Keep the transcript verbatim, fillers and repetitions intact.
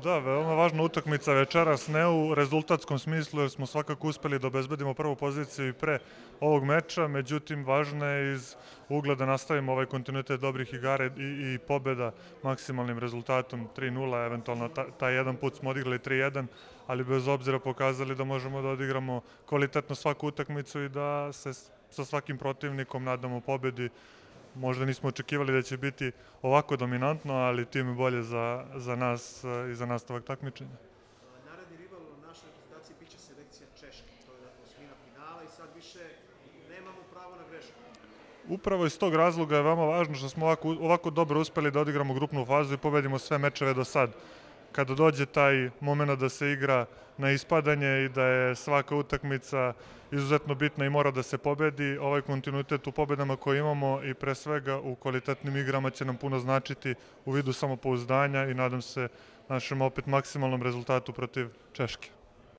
Da, veoma važna utakmica večeras, ne u rezultatskom smislu, jer smo svakako uspeli da obezbedimo prvu poziciju i pre ovog meča, međutim, važno je iz ugla da nastavimo ovaj kontinuitet dobrih igara i, i pobeda maksimalnim rezultatom tri nula, eventualno ta, taj jedan put smo odigrali tri jedan, ali bez obzira pokazali da možemo da odigramo kvalitetno svaku utakmicu i da se sa svakim protivnikom nadamo pobedi. Možda nismo očekivali da će biti ovako dominantno, ali tim je bolje za, za nas i za nastavak takmičenja. Naredni rival u našoj reprezentaciji biće selekcija Češke. To je osmina finala i sad više nemamo pravo na grešku. Upravo iz tog razloga je veoma važno što smo ovako, ovako dobro uspeli da odigramo grupnu fazu i pobedimo sve mečeve do sad. Kada dođe taj moment da se igra na ispadanje i da je svaka utakmica izuzetno bitna i mora da se pobedi, ovaj kontinuitet u pobedama koje imamo i pre svega u kvalitetnim igrama će nam puno značiti u vidu samopouzdanja i nadam se našem opet maksimalnom rezultatu protiv Češke.